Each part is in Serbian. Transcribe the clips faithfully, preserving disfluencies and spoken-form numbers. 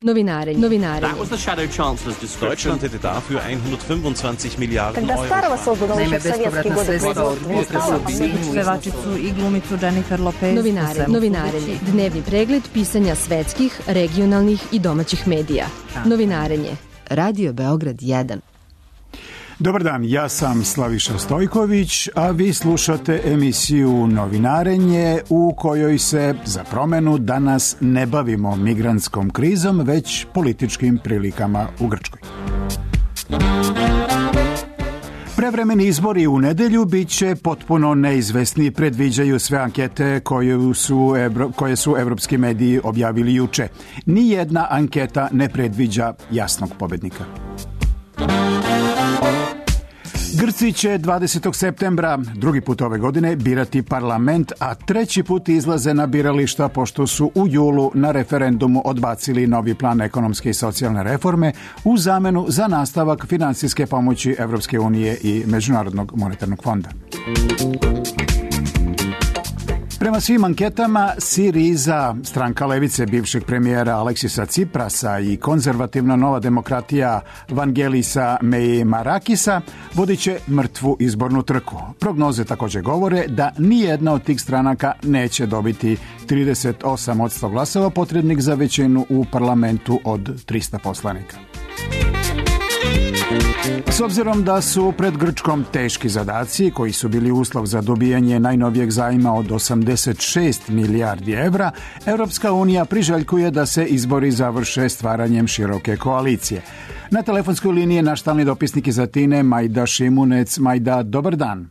Novinarenje. Novinarenje. That was the shadow chancellor's description. Deutschland hätte dafür hundertfünfundzwanzig Milliarden Когда Euro. Starova создана Naime, еще в советские годы производства. Pevačicu i glumicu Jennifer Lopez. Novinarenje. Novinarenje. Dnevni pregled pisanja svetskih, regionalnih i domaćih medija. Novinarenje. Radio Beograd jedan. Dobar dan, ja sam Slaviša Stojković, a vi slušate emisiju Novinarenje u kojoj se za promenu danas ne bavimo migrantskom krizom, već političkim prilikama u Grčkoj. Prevremeni izbori u nedelju bit će potpuno neizvesni, predviđaju sve ankete koje su, koje su evropski mediji objavili juče. Nijedna anketa ne predviđa jasnog pobednika. Grci će dvadesetog septembra, drugi put ove godine, birati parlament, a treći put izlaze na birališta pošto su u julu na referendumu odbacili novi plan ekonomske i socijalne reforme u zamenu za nastavak finansijske pomoći Evropske unije i Međunarodnog monetarnog fonda. Prema svim anketama, Siriza, stranka levice bivšeg premijera Aleksisa Ciprasa i konzervativna Nova demokratija Vangelisa Meimarakisa vodit će mrtvu izbornu trku. Prognoze također govore da nijedna od tih stranaka neće dobiti trideset osam posto glasova potrebnih za većinu u parlamentu od trista poslanika. S obzirom da su pred Grčkom teški zadaci koji su bili uslov za dobijanje najnovijeg zajma od osamdeset šest milijardi evra, Europska unija priželjkuje da se izbori završe stvaranjem široke koalicije. Na telefonskoj liniji je naš stalni dopisnik iz Atine, Majda Šimunec. Majda, dobar dan.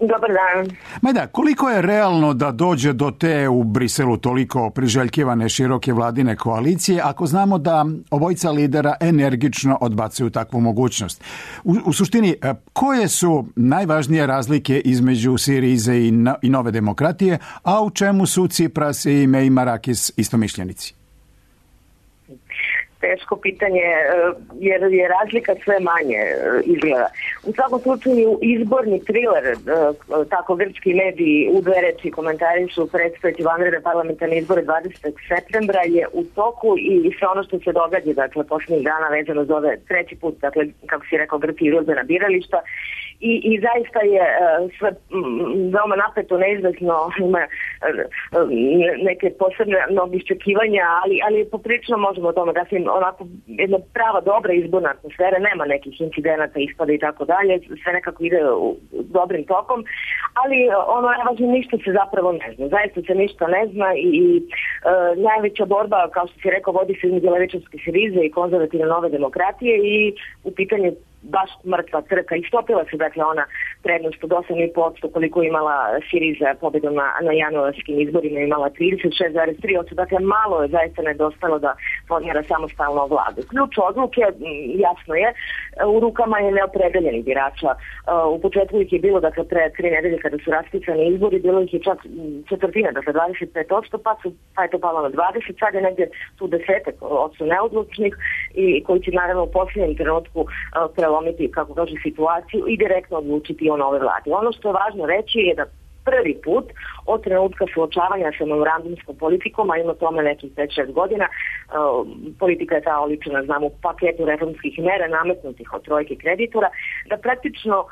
Dobar dan. Majda, koliko je realno da dođe do te u Briselu toliko priželjkivane široke vladine koalicije, ako znamo da obojica lidera energično odbacuju takvu mogućnost? U, u suštini, koje su najvažnije razlike između Sirize i, no, i Nove demokratije, a u čemu su Cipras i Meimarakis istomišljenici? Teško pitanje, jer je razlika sve manje izgleda. U svakom slučaju izborni triler, tako grčki mediji u dve reči komentari su predstaviti vanredne parlamentarne izbore dvadesetog septembra je u toku i sve ono što se događa, dakle, posljednjih dana vezano za ove treći put, dakle, kako si rekao, Grci izlaze na birališta. I, i zaista je uh, sve m, veoma napeto, neizvesno, ima uh, neke posebne mnogo iščekivanja, ali, ali poprično možemo o tome da se onako jedna prava dobra izborna atmosfera, nema nekih incidenata, ispada i tako dalje, sve nekako ide u, dobrim tokom, ali ono najvažnije, ništa se zapravo ne zna, zaista se ništa ne zna i, i uh, najveća borba, kao što si rekao, vodi se između levičarske Sirize i konzervativne Nove demokratije i u pitanju baš mrtva trka. Istopila se, dakle, ona prednost od osam i po posto koliko imala Siriza pobjedom na, na januarskim izborima, imala trideset šest zarez tri posto, dakle malo je zaista nedostalo da formira samostalno vladu. Ključ odluke, jasno je, u rukama je neopredeljenih birača. U početku ih je bilo, dakle, pre tri nedelje kada su raspisani izbori, bilo ih je čak četvrtina, dakle dvadeset pet posto, pa, su, pa je to palo na dvadeset, sad je negdje tu desetak odsto neodlučnih i koji će naravno u posljednjem trenutku prelomiti, kako kaže, situaciju i direktno odlučiti o nove vlade. Ono što je važno reći je da prvi put od trenutka suočavanja sa memorandumskom politikom, a ima tome nekih pet šest godina, uh, politika je ta oličena, znamo, u paketu reformskih mera nametnutih od trojke kreditora, da praktično uh,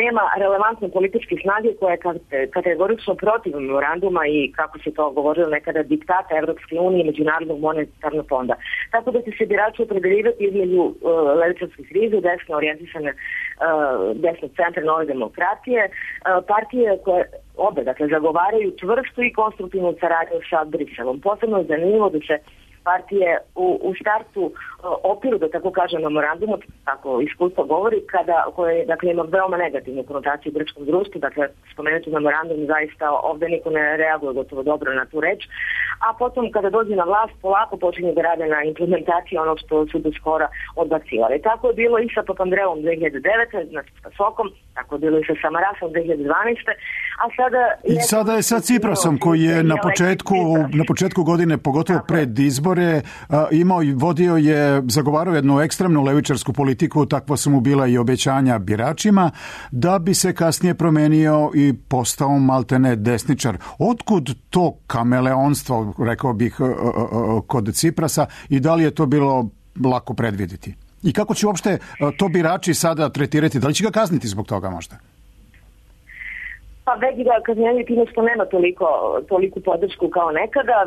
nema relevantne političke snage koja je kategorično protiv memoranduma i, kako se to govorilo nekada, diktata Evropske unije i Međunarodnog monetarnog fonda. Tako da će se birači opredeljivati između uh, levičarske Sirize, desno orijentisane uh, desnog centra Nove demokratije, uh, partije koje obe, dakle, zagovaraju čvrstu i konstruktivnu saradnju sa Briselom. Posebno je zanimljivo da se partije u, u startu uh, opiru, da tako kažem, memorandumu, tako iskustvo govori, kada, koje, dakle, ima veoma negativnu konotaciju u grčkom društvu, dakle, spomenuti memorandum, zaista ovdje niko ne reaguje gotovo dobro na tu reč, a potom kada dođe na vlast, polako počinje da rade na implementaciji onog što su do skora odbacivali. Tako je bilo i sa Papandreom dve hiljade devete, znači sa Sokom, tako je bilo i sa Samarasom dve hiljade dvanaeste, a sada... I sada je sa Ciprasom, koji je na početku, na početku godine, pogotovo pred izbor, izbore, imao i vodio je, zagovarao jednu ekstremnu levičarsku politiku, takva su mu bila i obećanja biračima, da bi se kasnije promenio i postao maltene desničar. Otkud to kameleonstvo, rekao bih, kod Ciprasa i da li je to bilo lako predvidjeti? I kako će uopšte to birači sada tretirati? Da li će ga kazniti zbog toga možda? Pa već ga kažnjavaju time što nema toliko, toliku podršku kao nekada.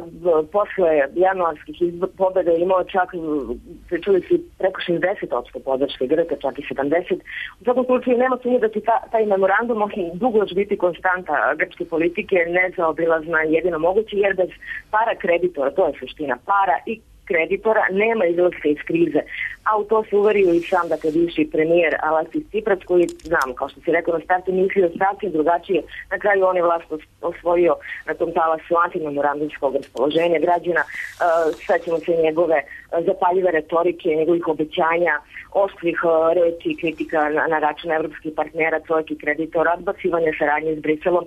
Posle januarskih izbor, pobjeda je imao čak, pričali su preko šezdeset posto podrške Grka, čak i sedamdeset. U svakom slučaju nema sumnje da će ta, taj memorandum dugo još biti konstanta grčke politike, nezaobilazna i jedino moguće, jer bez para kreditora, to je suština, para i kreditora, nema izlaska iz krize. A u to se uverio i sam, dakle, bivši premijer Aleksis Tsipras, koji, znam, kao što si rekao, na startu mislio sasvim drugačije. Na kraju on je vlast osvojio na tom talasu antimemorandumskog raspoloženja građana. Uh, Svećamo se njegove zapaljive retorike, njegovih obećanja, oštrih uh, reči i kritika na, na račun evropskih partnera, trojki kreditora, odbacivanja saradnje s Briselom.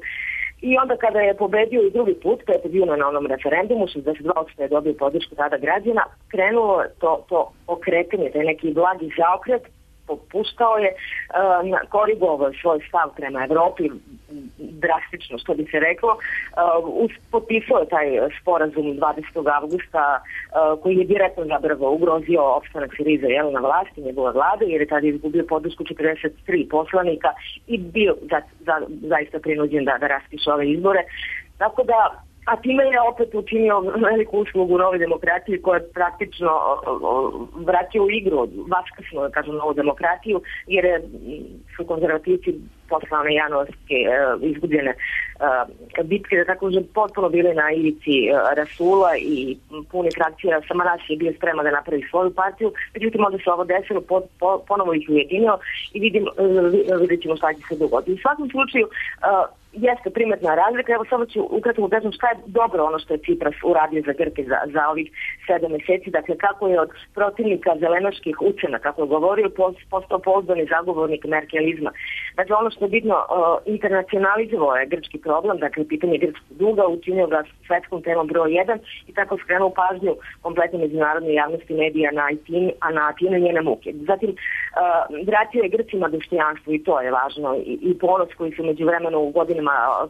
I onda kada je pobedio i drugi put, pet juna na onom referendumu, šezdeset dva posto je dobio podršku tada građana, krenulo to, to okretanje, taj neki blagi zaokret, popuštao je, uh, korigovao svoj stav prema Evropi, drastično, što bi se reklo. Uh, potpisao je taj sporazum dvadesetog avgusta uh, koji je direktno zapravo ugrozio opstanak Siriza jel, na vlasti, njegove vlade, jer je tada izgubio podršku četrdeset tri poslanika i bio za, za, zaista prinuđen da, da raspiše ove izbore. Tako da, a time je opet učinio veliku uslugu Novoj demokratiji koja je praktično vratio u igru, vaskrsno, da kažem, Novu demokratiju, jer je, su konzervativci posle one januarske uh, izgubljene uh, bitke, da tako že potpuno bile na ivici uh, Rasula i puni frakcija Samaras je bio sprema da napravi svoju partiju, međutim onda se ovo desilo, po, po, ponovo ih ujedinio i vidim, uh, vidjet ćemo šta će se dogoditi. U svakom slučaju, uh, jeste primetna razlika. Evo samo ću ukratko kažem šta je dobro ono što je Cipras uradio za Grke za, za ovih sedam mjeseci. Dakle, kako je od protivnika zelenaških ucena, kako je govorio, postao pouzdani zagovornik merkelizma. Dakle, ono što je bitno, uh, internacionalizovao je grčki problem, dakle, pitanje grčkog duga, učinio ga svetskom temom broj jedan i tako skrenuo pažnju kompletne međunarodne javnosti medija na Atinu, a na Atinu i njene muke. Zatim, uh, vratio je Grcima dostojanstvo i to je važno i, i ponos koji su međuvremeno u godinama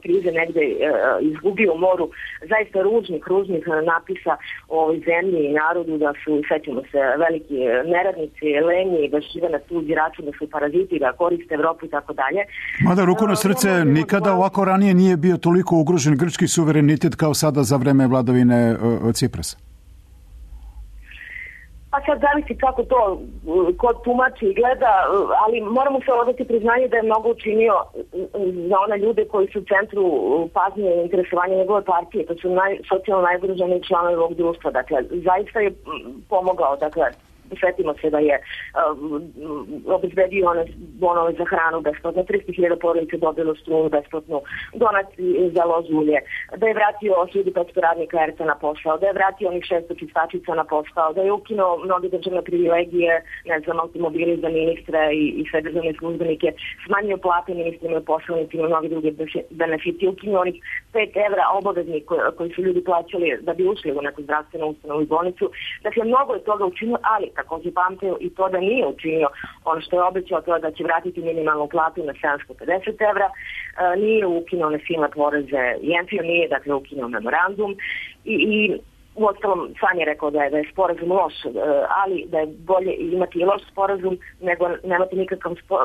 krize negde e, izgubio moru zaista ružnih, ružnih napisa o ovoj zemlji i narodu, da su, sećamo se, veliki neradnici, lenji, da žive na tuđi račun, da su paraziti, da koriste Evropu i tako dalje. Mada ruku na srce, nikada ovako ranije nije bio toliko ugrožen grčki suverenitet kao sada za vreme vladavine uh, Ciprasa. Pa sad zavisi kako to kod tumači i gleda, ali moramo se odati priznanje da je mnogo učinio za one ljude koji su u centru pažnje i interesovanja njegove partije, to su naj, socijalno najgroženiji članovi ovog društva. Dakle, zaista je pomogao, dakle, svetimo se da je uh, obezbedio one bonove za hranu besplatno, tristo hiljada porodica dobilo struju besplatnu, donati za lož ulje, da je vratio hiljadu petsto radnika er te a na posao, da je vratio onih šesto čistačica na posao, da je ukinuo mnoge državne privilegije, ne znam, automobili za ministre i, i sve državne službenike, smanjio plate ministrima i poslanicima, mnogi druge benefiti, ukinuo onih pet evra obaveznih koji, koji su ljudi plaćali da bi ušli u neku zdravstvenu ustanovu i bolnicu. Dakle, mnogo je toga učinio, ali također pamtio i to da nije učinio ono što je obećao, to je da će vratiti minimalnu platu na sedamsto pedeset evra, e, nije ukinuo one silne poreze, Jenfio nije, dakle, ukinuo memorandum i, i u ostalom sam je rekao da je, da je sporazum loš, ali da je bolje imati i loš sporazum nego nemati nikakav, spo,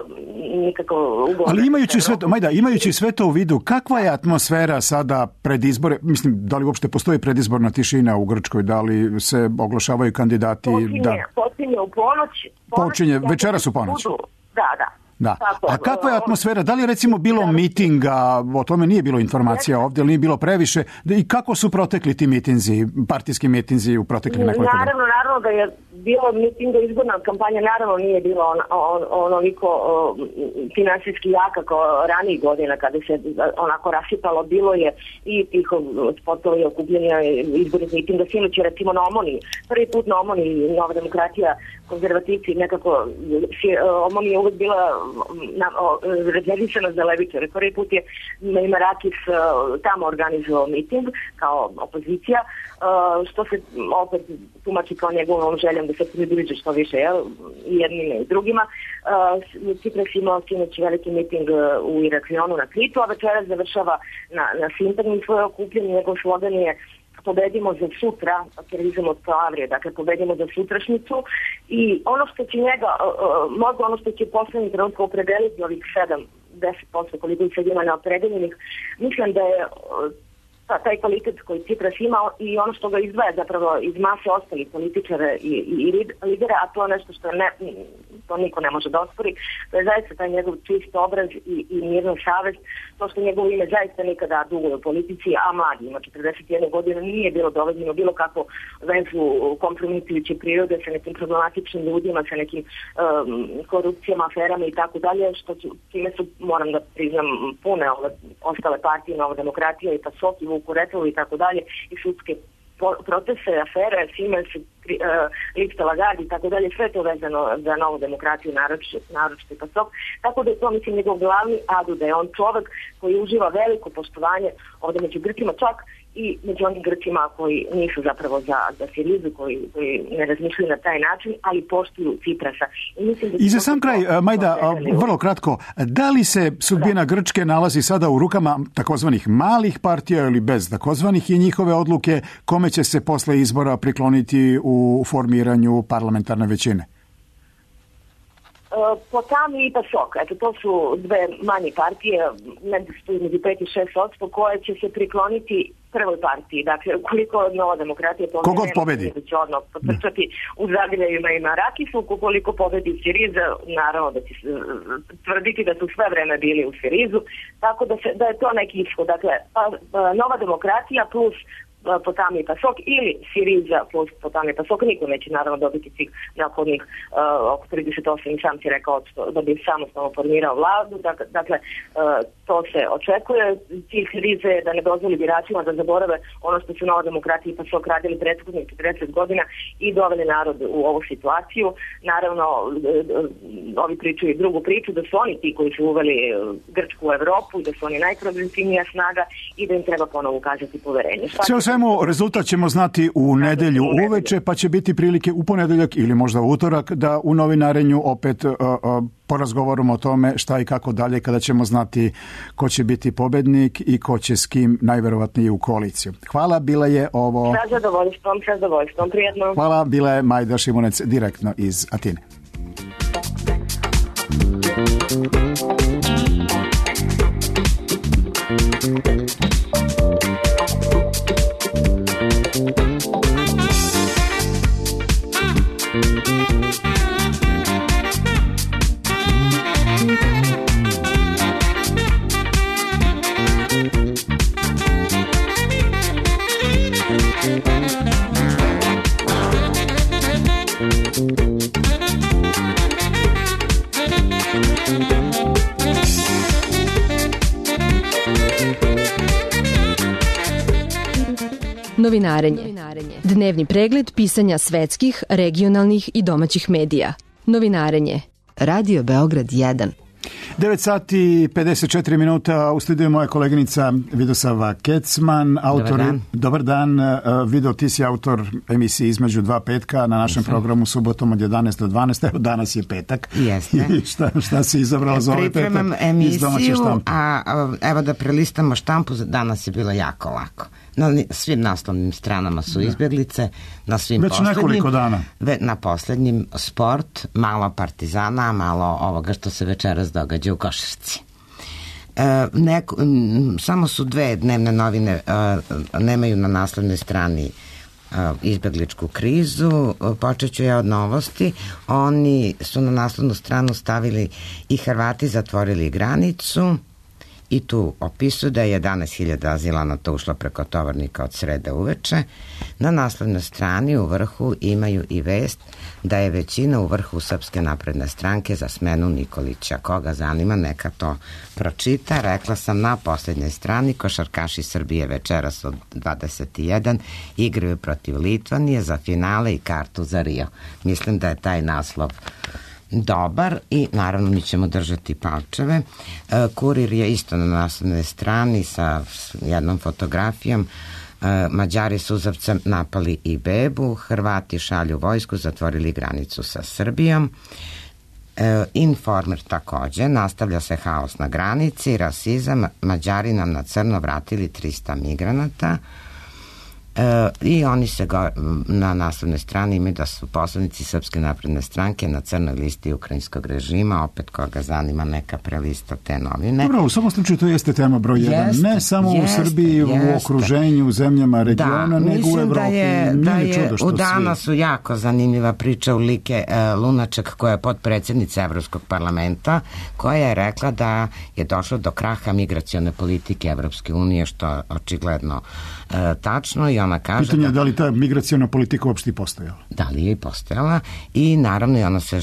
nikakav ugovor. Ali imajući sve to, Majda, imajući sve to u vidu, kakva je atmosfera sada pred izbore? Mislim, da li uopšte postoji predizborna tišina u Grčkoj? Da li se oglašavaju kandidati? Počinje, da... počinje u ponoć. ponoć Počinje, večeras u ponoć. Budu, da, da. Da. A kakva je atmosfera? Da li je recimo bilo mitinga, o tome nije bilo informacija ovdje, ali nije bilo previše, i kako su protekli ti mitinzi, partijski mitinzi u proteklih nekoliko dana? Naravno, naravno da je bilo mitinga, izborna kampanja naravno nije bilo on, on, onoliko on, finansijski jaka kao ranijih godina kada se onako rasipalo, bilo je i tih spotova i okupljenja izbornih mitinga, sinoć je recimo na Omoniji, prvi put na Omoniji Nova demokratija, konzervativci, nekako Omonija je uvek bila rezervisana za levičare. Prvi put je Marakis tamo organizovao miting kao opozicija, što se opet tumači kao njegovom željom da se približe što više, jel, i jednima i drugima. Cipras imao sinoć veliki miting u Iraklionu na Kritu, a večeras završava na, na Sintagmi svoje okupljanje. Njegov slogan je pobedimo za sutra, terorizam od Klavrije, dakle pobedimo za sutrašnjicu, i ono što će njega, možda ono što će poslednji trenutka opredeliti ovih sedam do deset posto koliko ih sad ima neopredeljenih, mislim da je ta, taj kvalitet koji Cipras ima i ono što ga izdvaja zapravo iz mase ostalih političara i, i, i lidera, a to je nešto što ne, to niko ne može da ospori, to je zaista taj njegov čist obraz i, i mirna savest, to što njegovo ime zaista nikada dugo u politici, a mladi, ima četrdeset jednu godinu, nije bilo dovoljeno bilo kakvu vezu kompromitujuće prirode sa nekim problematičnim ljudima, sa nekim um, korupcijama, aferama i tako dalje, što su, time su, moram da priznam, pune ove ostale partije, Nova demokratija i PASOK i Vukuretovo i tako dalje, i sudske procese, afere, Siemens, Lipta Lagarde i tako dalje, sve to vezano za Novu demokratiju, naročito i PASOK. Tako da je to, mislim, njegov glavni adu, da je on čovek koji uživa veliko poštovanje ovde među Grcima, čak i među onim Grcima koji nisu zapravo za, za Sirizu, koji, koji ne razmišljaju na taj način, ali poštuju Ciprasa. I, mislim da I za sam kraj, Majda, vrlo kratko, da li se sudbina da. Grčke nalazi sada u rukama takozvanih malih partija ili bez takozvanih i njihove odluke, kome će se posle izbora prikloniti u formiranju parlamentarne većine? Potami i PASOK, eto, to su dve manje partije, negdje su između pet i šest odsto, koje će se prikloniti prvoj partiji. Dakle, ukoliko Nova demokratija to kogod pobedi, da će odmah potrčati u Zagrebima i Marakisu, ukoliko pobedi Siriza, naravno da će tvrditi da su sve vreme bili u Sirizu, tako da, se, da je to neki ishod. Dakle, pa, Nova demokratija plus Potami i PASOK ili Siriza plus Potami i PASOK, niko neće naravno dobiti svih neophodnih uh, oko trideset osam i sam si rekao da bi samostalno formirao vladu. Dakle, dakle uh, to se očekuje. Cilj Sirize je da ne dozvoli biračima da zaborave ono što su Nova demokratija i PASOK radili prethodnih četrdeset godina i doveli narod u ovu situaciju. Naravno, ovi pričaju i drugu priču, da su oni ti koji su uveli Grčku u Evropu i da su oni najprogresivnija snaga i da im treba ponovo ukazati poverenje. Sve o svemu, rezultat ćemo znati u nedelju uveče, pa će biti prilike u ponedeljak ili možda u utorak da u novinarenju opet uh, uh, porazgovorimo o tome šta i kako dalje, kada ćemo znati ko će biti pobednik i ko će s kim najverovatnije u koaliciju. Hvala, bila je ovo... Sa zadovoljstvom, sa zadovoljstvom, prijetno. Hvala, bila je Majda Šimunec direktno iz Atine. Novinarenje. Dnevni pregled pisanja svetskih, regionalnih i domaćih medija. Novinarenje. Radio Beograd jedan. devet sati i pedeset četiri minuta, u studiju moja koleginica Vidosava Kecman, autor... Dobar dan. Dobar dan. Vido, ti si autor emisije Između dva petka na našem Jeste. Programu subotom od jedanaest do dvanaest. Evo, danas je petak. Jeste. I šta, šta si izabrala za ovaj petak? Pripremam emisiju, a, a evo da prelistamo štampu, danas je bilo jako lako. Na svim naslovnim stranama su izbjeglice, na svim Već poslednjim. nekoliko dana. Ve, na poslednjim sport, malo Partizana, malo ovoga što se večeras događa u košarci. E, neko, m, samo su dve dnevne novine, e, nemaju na naslovnoj strani e, izbjegličku krizu. Počet ću ja od novosti. Oni su na naslovnu stranu stavili i Hrvati zatvorili granicu. I tu opisuju da je jedanaest hiljada azilanata ušlo preko tovarnika od srede uveče. Na naslovnoj strani u vrhu imaju i vest da je većina u vrhu Srpske napredne stranke za smenu Nikolića. Koga zanima, neka to pročita. Rekla sam na posljednjoj strani, košarkaši Srbije večeras od dvadeset jedan igraju protiv Litvanije za finale i kartu za Rio. Mislim da je taj naslov dobar i naravno mi ćemo držati palčeve. Kurir je isto na naslovnoj strani sa jednom fotografijom. Mađari suzavcem napali i bebu, Hrvati šalju vojsku, zatvorili granicu sa Srbijom. Informer takođe, nastavlja se haos na granici, rasizam, Mađari nam na crno vratili trista migranata. E, i oni se go, na naslovnoj strani imaju da su poslanici Srpske napredne stranke na crnoj listi ukrajinskog režima, opet koga zanima neka prelista te novine. Dobro, u svakom slučaju to jeste tema broj jedan, jeste, ne samo jeste, u Srbiji, jeste. U okruženju, u zemljama regiona, da, nego u Evropi. Da, je, da je u danas su jako zanimljiva priča u like e, Lunaček, koja je potpredsjednica Evropskog parlamenta, koja je rekla da je došlo do kraha migracione politike Evropske unije, što je očigledno e, tačno, i ona kaže... Pitanje je da, da li ta migraciona politika uopšte postojala? Da li je i postojala, i naravno i ona se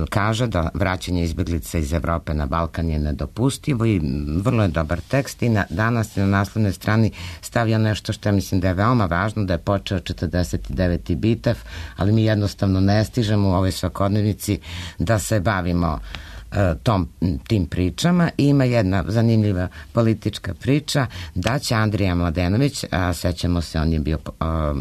kaže da vraćanje izbjeglica iz Evrope na Balkan je nedopustivo, i vrlo je dobar tekst, i na, danas na naslovnoj strani stavlja nešto što ja mislim da je veoma važno, da je počeo četrdeset deveti Bitev, ali mi jednostavno ne stižemo u ovoj svakodnevnici da se bavimo tom, tim pričama. I ima jedna zanimljiva politička priča da će Andrija Mladenović, a sećamo se, on je bio a,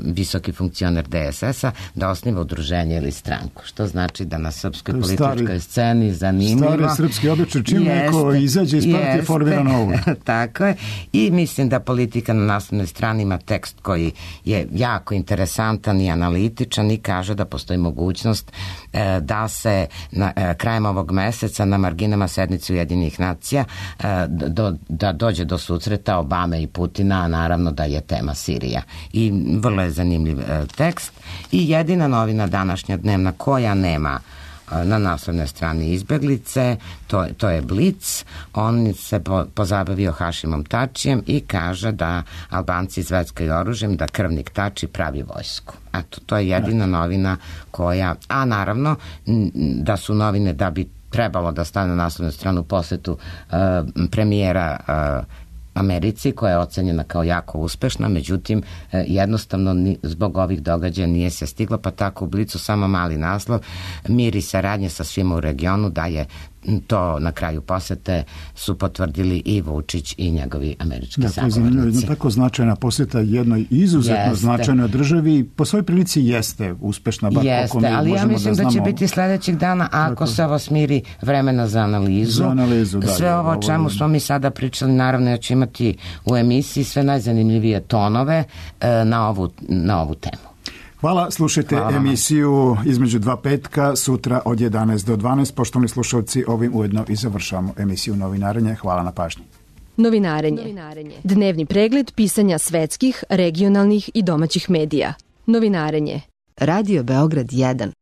visoki funkcioner de es es a, da osniva udruženje ili stranku, što znači da na srpskoj političkoj stari, sceni zanimljivo. Stari srpski običaj, čim jeste, neko izađe iz partije, formira novu. Tako je. I mislim da politika na naslovnoj strani ima tekst koji je jako interesantan i analitičan i kaže da postoji mogućnost e, da se na, e, krajem ovog meseca na marginama sednice Ujedinjenih nacija do, da dođe do susreta Obame i Putina, a naravno da je tema Sirija. I vrlo je zanimljiv tekst. I jedina novina današnja dnevna koja nema na naslovnoj strani izbeglice, to, to je Blic. On se po, pozabavio Hašimom Tačijem i kaže da Albanci zveckaju oružjem, da krvnik Tači pravi vojsku. Eto, to je jedina novina koja, a naravno da su novine da bi trebalo da stane na naslovnu stranu posetu uh, premijera uh, Americi, koja je ocenjena kao jako uspešna, međutim uh, jednostavno ni, zbog ovih događaja nije se stiglo, pa tako u Blicu samo mali naslov: mir i saradnje sa svima u regionu, da je to na kraju posete su potvrdili i Vučić i njegovi američki da, sagovornici. Jedna tako značajna poseta jednoj izuzetno jeste. značajnoj državi, po svojoj prilici jeste uspešna, bar jeste, mi ali ja mislim da, da će biti sledećeg dana, ako tako. se ovo smiri, vremena za analizu. Za analizu, da. Sve ovo o čemu smo mi sada pričali, naravno ja ću imati u emisiji sve najzanimljivije tonove e, na, ovu, na ovu temu. Hvala, slušajte Hvala. emisiju Između dva petka sutra od jedanaest do dvanaest. Poštovani slušalci, ovim ujedno i završavamo emisiju Novinarenje. Hvala na pažnji. Novinarenje. Dnevni pregled pisanja svetskih, regionalnih i domaćih medija. Novinarenje. Radio Beograd jedan.